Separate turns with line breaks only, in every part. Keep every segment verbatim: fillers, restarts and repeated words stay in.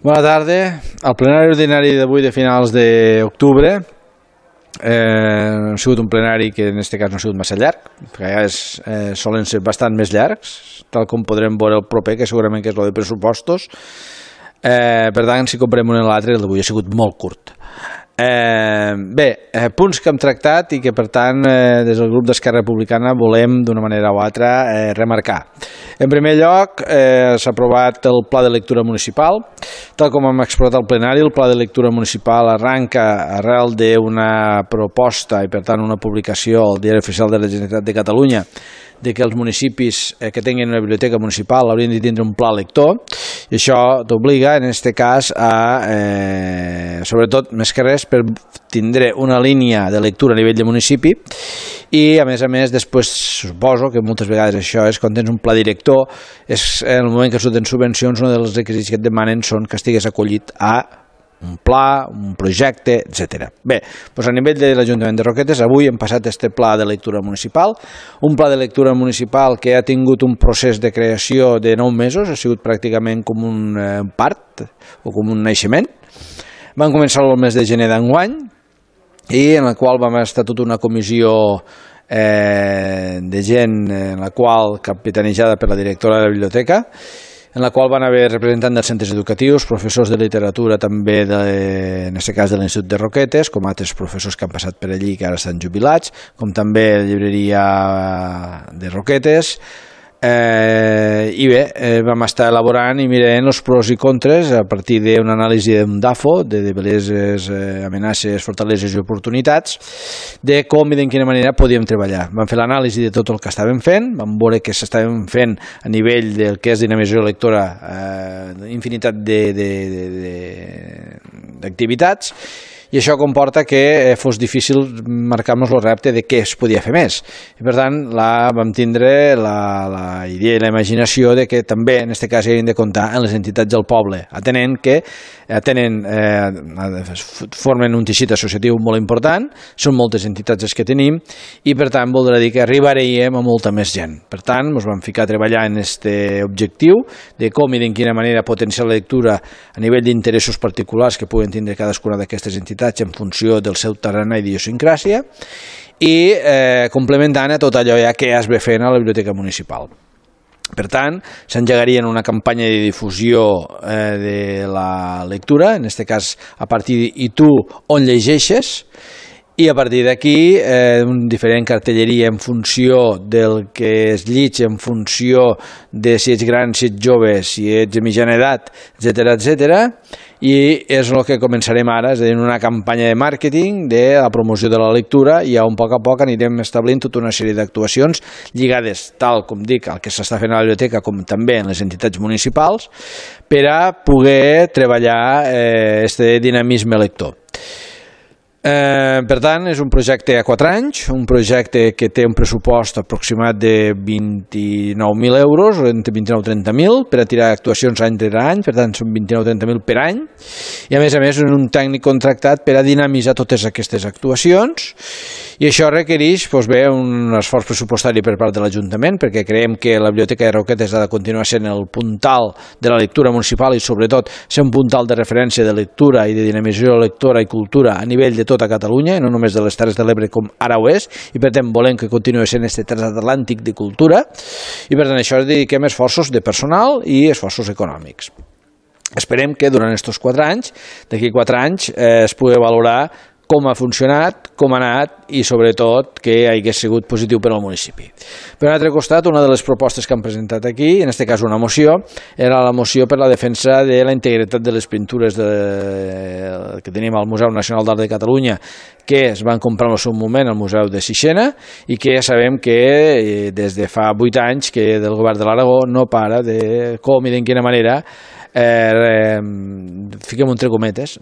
Bona tarda. El plenari ordinari d'avui de finals d'octubre eh, ha sigut un plenari que en aquest cas no ha sigut massa llarg, perquè a vegades eh, solen ser bastant més llargs, tal com podrem veure el proper, que segurament que és el de pressupostos. Eh, per tant, si comprem un i l'altre, el d'avui ha sigut molt curt. Eh, bé, eh, punts que hem tractat i que per tant eh, des del grup d'Esquerra Republicana volem d'una manera o altra eh, remarcar. En primer lloc eh, s'ha aprovat el pla de lectura municipal. Tal com hem explicat al plenari, el pla de lectura municipal arranca arrel d'una proposta i per tant una publicació al Diari Oficial de la Generalitat de Catalunya de que els municipis que tinguin una biblioteca municipal haurien de tindre un pla lector, i això t'obliga en aquest cas a, eh, sobretot més que res, per tindre una línia de lectura a nivell de municipi, i a més a més després suposo que moltes vegades això és quan tens un pla director, és en el moment que surten subvencions, un dels requisits que et demanen són que estigues acollit a un pla, un projecte, etcètera. Bé, doncs a nivell de l'Ajuntament de Roquetes avui hem passat este pla de lectura municipal, un pla de lectura municipal que ha tingut un procés de creació de nou mesos, ha sigut pràcticament com un eh, part o com un naixement. Vam començar el mes de gener d'enguany i en el qual vam estar tota una comissió eh, de gent en la qual capitanejada per la directora de la biblioteca, en la qual van haver representants dels centres educatius, professors de literatura també, de, en aquest cas de l'Institut de Roquetes, com altres professors que han passat per allí que ara estan jubilats, com també la llibreria de Roquetes, eh, i bé, eh, vam estar elaborant i mirant els pros i contres a partir d'una anàlisi d'un D A F O, de debilitats, eh, amenaces, fortaleses i oportunitats, de com i de quina manera podíem treballar. Vam fer l'anàlisi de tot el que estàvem fent, vam veure que s'estàvem fent a nivell del que és dinamització lectora, eh, infinitat d'activitats, i això comporta que fos difícil marcar-nos el repte de què es podia fer més. I per tant, la, vam tindre la, la idea i la imaginació de que també en aquest cas havíem de comptar en les entitats del poble, atenent que atenen, eh, formen un teixit associatiu molt important, són moltes entitats les que tenim, i per tant voldrà dir que arribaríem a molta més gent. Per tant, ens vam ficar a treballar en aquest objectiu de com i de quina manera potenciar la lectura a nivell d'interessos particulars que puguen tindre cadascuna d'aquestes entitats en funció del seu terreny i idiosincràsia, i eh, complementant a tot allò ja que es ve fent a la biblioteca municipal. Per tant, s'engegaria una campanya de difusió eh, de la lectura, en aquest cas a partir de «I tu on llegeixes?», i a partir d'aquí eh, un diferent cartelleria en funció del que es llig, en funció de si ets gran, si ets jove, si ets de mitjana edat, etcètera, etcètera, i és el que començarem ara, és a dir, una campanya de màrqueting de la promoció de la lectura, i a un poc a poc anirem establint tota una sèrie d'actuacions lligades, tal com dic, al que s'està fent a la biblioteca com també en les entitats municipals, per a poder treballar eh, este dinamisme lector. Eh, per tant, és un projecte a quatre anys, un projecte que té un pressupost aproximat de vint-i-nou mil euros, entre vint-i-nou i trenta mil, per a tirar actuacions any rere any, per tant són vint-i-nou a trenta mil per any, i a més a més és un tècnic contractat per a dinamitzar totes aquestes actuacions, i això requereix doncs bé, un esforç pressupostari per part de l'Ajuntament, perquè creiem que la Biblioteca de Roquetes ha de continuar sent el puntal de la lectura municipal i sobretot ser un puntal de referència de lectura i de dinamització lectora i cultura a nivell de tota Catalunya, i no només de les Terres de l'Ebre com ara ho és, i per tant volem que continuï sent aquest transatlàntic de cultura, i per tant això dediquem esforços de personal i esforços econòmics. Esperem que durant aquests quatre anys, d'aquí quatre anys, eh, es pugui valorar com ha funcionat, com ha anat i sobretot que hagi sigut positiu per al municipi. Per un altre costat, una de les propostes que han presentat aquí, en aquest cas una moció, era la moció per la defensa de la integritat de les pintures de, que tenim al Museu Nacional d'Art de Catalunya, que es van comprar en el seu moment al Museu de Sixena, i que ja sabem que des de fa vuit anys que del govern de l'Aragó no para de com i de quina manera Eh, fiquem entre cometes,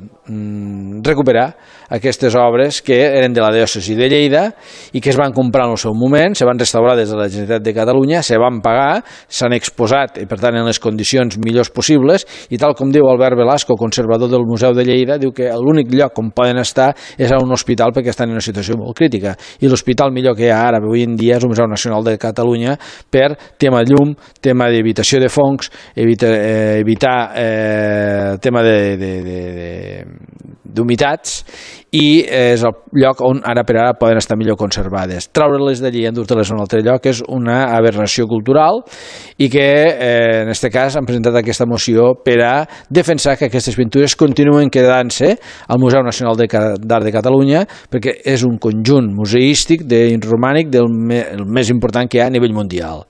recuperar aquestes obres que eren de la diòcesi de Lleida i que es van comprar en el seu moment, se van restaurar des de la Generalitat de Catalunya, se van pagar, s'han exposat, i per tant en les condicions millors possibles, i tal com diu Albert Velasco, conservador del Museu de Lleida, diu que l'únic lloc on poden estar és a un hospital perquè estan en una situació molt crítica, i l'hospital millor que hi ha ara avui en dia és el Museu Nacional de Catalunya per tema llum, tema d'evitació de fongs, evita, eh, evitar eh, tema d'humitats, i és el lloc on ara per ara poden estar millor conservades. Treure-les d'allí i endur-te-les a un altre lloc és una aberració cultural i que eh, en aquest cas han presentat aquesta moció per a defensar que aquestes pintures continuen quedant-se al Museu Nacional d'Art de Catalunya, perquè és un conjunt museístic romànic del més important que hi ha a nivell mundial.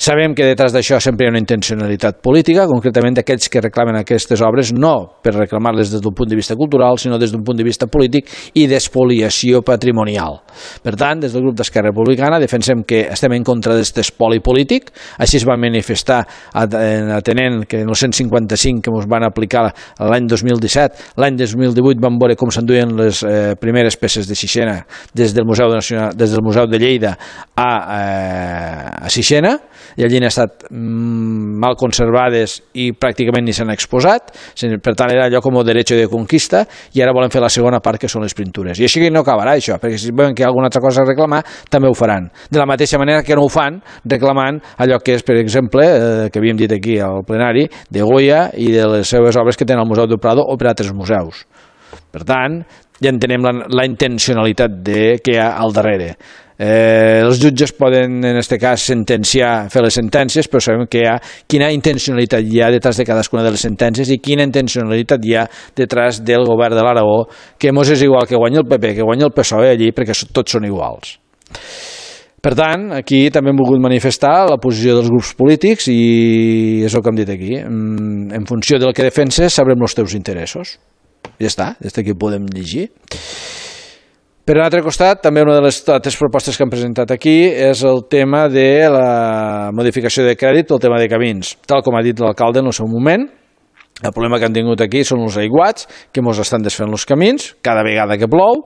Sabem que detrás d'això sempre hi ha una intencionalitat política, concretament d'aquells que reclamen aquestes obres, no per reclamar-les des d'un punt de vista cultural, sinó des d'un punt de vista polític i d'espoliació patrimonial. Per tant, des del grup d'Esquerra Republicana defensem que estem en contra d'aquest espoli polític, així es va manifestar atenent que en el cent cinquanta-cinc que ens van aplicar l'any dos mil disset, l'any dos mil divuit vam veure com s'enduien les eh, primeres peces de Sixena des del Museu, Nacional, des del Museu de Lleida a, eh, a Sixena, i allí han estat mal conservades i pràcticament ni s'han exposat, per tant era allò com a derecho de conquista, i ara volen fer la segona part que són les pintures, i així no acabarà això, perquè si veuen que hi ha alguna altra cosa a reclamar també ho faran, de la mateixa manera que no ho fan reclamant allò que és, per exemple, eh, que havíem dit aquí al plenari, de Goya i de les seves obres que tenen al Museu del Prado o per altres museus. Per tant, ja entenem la, la intencionalitat de, que hi ha al darrere. Eh, els jutges poden, en aquest cas, sentenciar, fer les sentències, però sabem que hi ha, quina intencionalitat hi ha detrás de cadascuna de les sentències i quina intencionalitat hi ha detrás del govern de l'Aragó, que mos és igual que guanyi el P P, que guanyi el P S O E allí, perquè tots són iguals. Per tant, aquí també hem volgut manifestar la posició dels grups polítics i és el que hem dit aquí. En funció del que defenses sabrem els teus interessos. Ja està, des d'aquí ho podem llegir. Per un altre costat, també una de les altres propostes que han presentat aquí és el tema de la modificació de crèdit pel tema de camins. Tal com ha dit l'alcalde en el seu moment, el problema que han tingut aquí són els aiguats, que ens estan desfent els camins cada vegada que plou,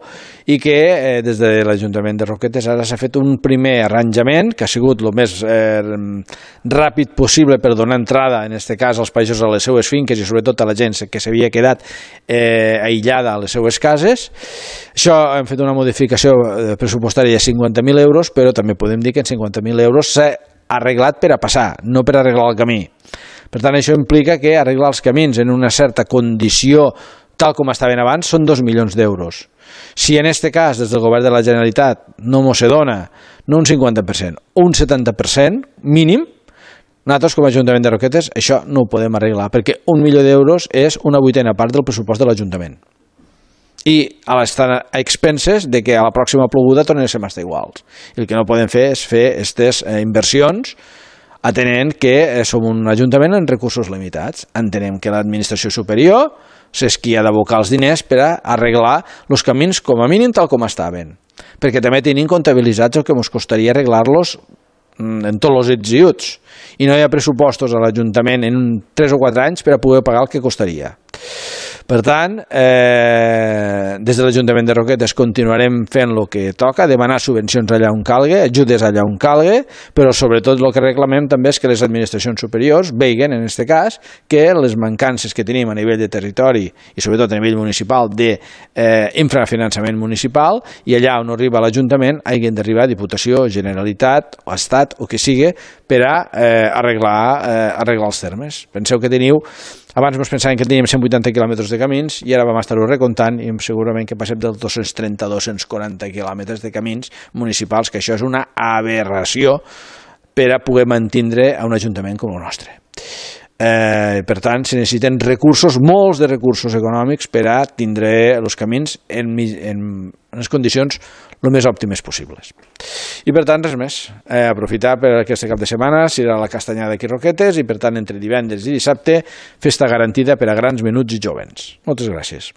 i que eh, des de l'Ajuntament de Roquetes ara s'ha fet un primer arranjament que ha sigut el més eh, ràpid possible per donar entrada, en aquest cas, als països a les seues finques i sobretot a la gent que s'havia quedat eh, aïllada a les seues cases. Això hem fet una modificació pressupostària de cinquanta mil euros, però també podem dir que en cinquanta mil euros s'ha arreglat per a passar, no per arreglar el camí. Per tant, això implica que arreglar els camins en una certa condició tal com estaven abans són dos milions d'euros. Si en aquest cas, des del govern de la Generalitat, no mos se dona no un cinquanta per cent, un setanta per cent mínim, nosaltres com a Ajuntament de Roquetes això no ho podem arreglar, perquè un milió d'euros és una vuitena part del pressupost de l'Ajuntament. I estan a expenses de que a la pròxima ploguda tornen a ser estar iguals. I el que no podem fer és fer aquestes inversions atenent que som un ajuntament amb recursos limitats. Entenem que l'administració superior és qui ha d'abocar els diners per a arreglar els camins com a mínim tal com estaven, perquè també tenim comptabilitzats el que ens costaria arreglar-los en tots els ets i uts, i no hi ha pressupostos a l'Ajuntament en tres o quatre anys per a poder pagar el que costaria. Per tant, eh, des de l'Ajuntament de Roquetes continuarem fent el que toca, demanar subvencions allà on calgue, ajudes allà on calgue, però sobretot el que reclamem també és que les administracions superiors veguen, en aquest cas, que les mancances que tenim a nivell de territori i sobretot a nivell municipal d'infrafinançament eh, municipal, i allà on arriba l'Ajuntament hagin d'arribar Diputació, Generalitat o Estat o que sigui per a eh, arreglar, eh, arreglar els termes. Penseu que teniu, abans ens pensàvem que teníem cent vuitanta quilòmetres de camins i ara vam estar-ho recomptant i segurament que passem dels dos-cents trenta a dos-cents quaranta quilòmetres de camins municipals, que això és una aberració per a poder mantindre a un ajuntament com el nostre. Eh, per tant, se necessiten recursos, molts de recursos econòmics per a tindre els camins en, en, en les condicions el més òptimes possibles. I per tant, res més. Eh, aprofitar per aquest cap de setmana, serà la castanyada aquí a Roquetes, i per tant, entre divendres i dissabte, festa garantida per a grans, menuts i jovens. Moltes gràcies.